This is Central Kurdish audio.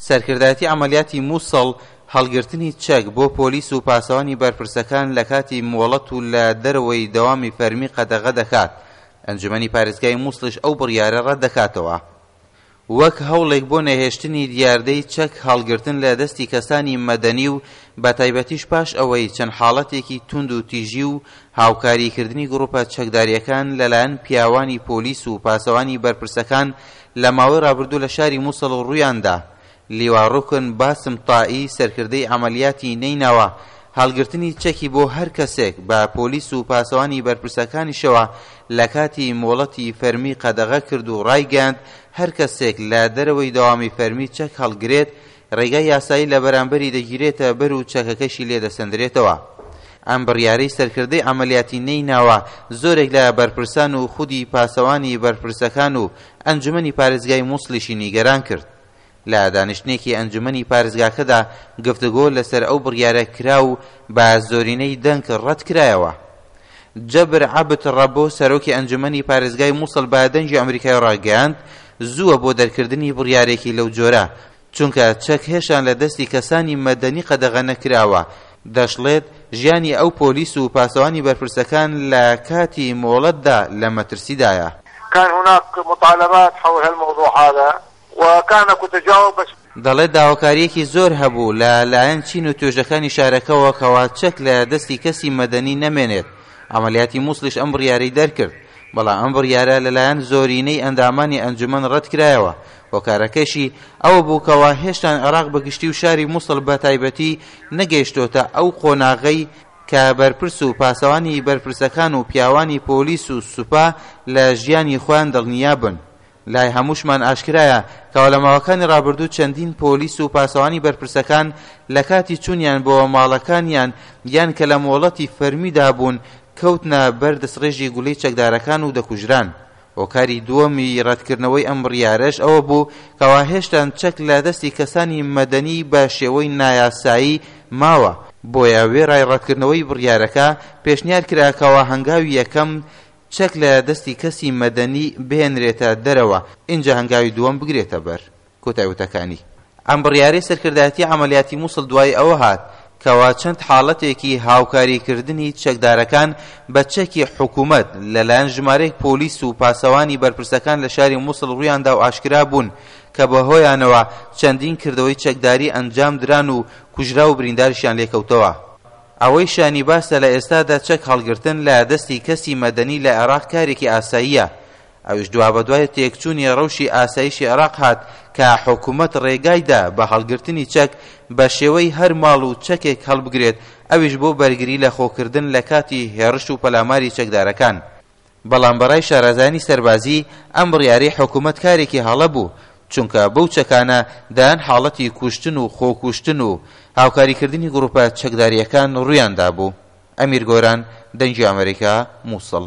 سەرکردایەتی عەمەلیاتی موسڵ هەڵگرتنی چەک بۆ پۆلیس و پاسەوانی بەرپرسەکان لە کاتی مۆڵەت و لە دەرەوەی دەوامی فەرمی قەدەغە دەکات، ئەنجومەنی پارێزگای موسڵیش ئەو بڕیارە ڕەتدەکاتەوە. وەک هەوڵێک بۆ نەهێشتنی دیاردەی چەک هەڵگرتن لە دەستی کەسانی مەدەنی و بەتایبەتیش پاش ئەوەی چەند حاڵەتێکی توند و تیژی و هاوکاری کردنی گڕوپە چەکداریەکان لەلایەن پیاوانی پۆلیس و پاسەوانی بەرپرسەکان لە ماوەی ڕابردوو لە شاری موسڵ ڕوویاندا لیوا ڕوکن باسم تائی سەرکردەی عەمەلیاتی نەینەوا هەڵگرتنی چەکی بۆ هەر کەسێک بە پۆلیس و پاسەوانی بەرپرسەکانیشەوە لە کاتی مۆڵەتی فەرمی قەدەغە کرد و ڕایگەیاند هەر کەسێک لە دەرەوەی دەوامی فەرمی چەک هەڵگرێت ڕێگای یاسایی لە بەرامبەری دەگیرێتە بەر و چەکەکەشی لێ دەسەندرێتەوە. ئەم بڕیارەی سەرکردەی عەمەلیاتی نەیناوا زۆرێک لە بەرپرسان و خودی پاسەوانی بەرپرسەکان و ئەنجومەنی پارێزگای موسڵیشی نیگەران کرد. لە دانیشتنێکی ئەنجومەنی پارێزگاکەدا گفتوگۆ لەسەر ئەو بڕیارە کرا و بە زۆرینەی دەنگ ڕەتکرایەوە. جەبر عەبد ڕەبۆ سەرۆکی ئەنجومەنی پارێزگای موسڵ بە دەنگی ئەمریکای ڕاگەیاند، زووە بۆ دەرکردنی بڕیارێکی لەو جۆرە، چونکە چەک هێشتان لە دەستی کەسانی مەدەنی قەدەغە نەکراوە، دەشڵێت، ژیانی ئەو پۆلیس و پاسەوانی بەرپرسەکان لە کاتی مۆڵەتدا لە مەترسیدایە. كان هناك مطالبات حول هالموضوع هذا وكان اكو تجاوب بس. دەڵێت داواکارییەکی زۆر هەبوو لە لایەن چین و توێژەکانی شارەکەوە کەوا چەک لە دەستی کەسی مەدەنی نەمێنێت، عەمەلیاتی موسڵیش ئەم بڕیارەی دەرکرد، بەڵام ئەم بڕیارە لەلایەن زۆرینەی ئەندامانی ئەنجومەن ڕەتکرایەوە، هۆکارەکەشی ئەوە بوو کەوا هێشتان عێراق بە گشتی و شاری موسڵ بە تایبەتی نەگەیشتۆتە ئەو قۆناغەی کە بەرپرس و پاسەوانی بەرپرسەکان و پیاوانی پۆلیس و سوپا لە ژیانی خۆیان دڵنیا بن. لای هەمووشمان ئاشکرایە کەوا لە ماوەکانی ڕابردوو چەندین پۆلیس و پاسەوانی بەرپرسەکان لە کاتی چوونیان بۆ ماڵەکانیان یان کە لە مۆڵەتی فەرمیدا بوون کەوتنە بەر دەستڕێژی گولەی چەکدارەکان و دەکوژران. هۆکاری دووەمی ڕەتکردنەوەی ئەم بڕیارەش ئەوە بوو کەوا هێشتان چەک لە دەستی کەسانی مەدەنی بە شێوەی نایاسایی ماوە، بۆیە وێڕای ڕەتکردنەوەی بڕیارەکە پێشنیار کرا کەوا هەنگاوی یەکەم چەک لە دەستی کەسی مەدەنی بهێنرێتە دەرەوە ئینجا هەنگاوی دووەم بگرێتە بەر. کۆتای وتەکانی. ئەم بڕیارەی سەرکردایەتی عەمەلیاتی موسڵ دوای ئەوە هات کەوا چەند حاڵەتێکی هاوکاری کردنی چەکدارەکان بە چەکی حکومەت لە لایەن ژمارەیەک پۆلیس و پاسەوانی بەرپرسەکان لە شاری موسڵ ڕوویاندا و ئاشکرا بوون کە بەهۆیانەوە چەندین کردەوەی چەکداری ئەنجام دران و کوژراو و برینداریشیان لێکەوتەوە. ئەوەی شایانی باسە لە ئێستادا چەک هەڵگرتن لە دەستی کەسی مەدەنی لە عێراق کارێکی ئاساییە، ئەویش دوابەدوای تێکچوونی ڕەوشی ئاسایشی عێراق هات کە حکومەت ڕێگای دا بە هەڵگرتنی چەک بە شێوەی هەر ماڵ و چەکێک هەڵبگرێت ئەویش بۆ بەرگری لە خۆکردن لە کاتی هێڕش و پەلاماری چەکدارەکان. بەڵام بەڕای شارەزایانی سەربازی ئەم بڕیارەی حکومەت کارێکی هەڵە بوو، چونکە بەو چەکانە دەیان حاڵەتی کوشتن و خۆکوشتن و هاوکاریکردنی گروپە چەکدارییەکان ڕوویان دابوو. ئەمیر گۆران، دەنگی ئەمەریکا، موسڵ.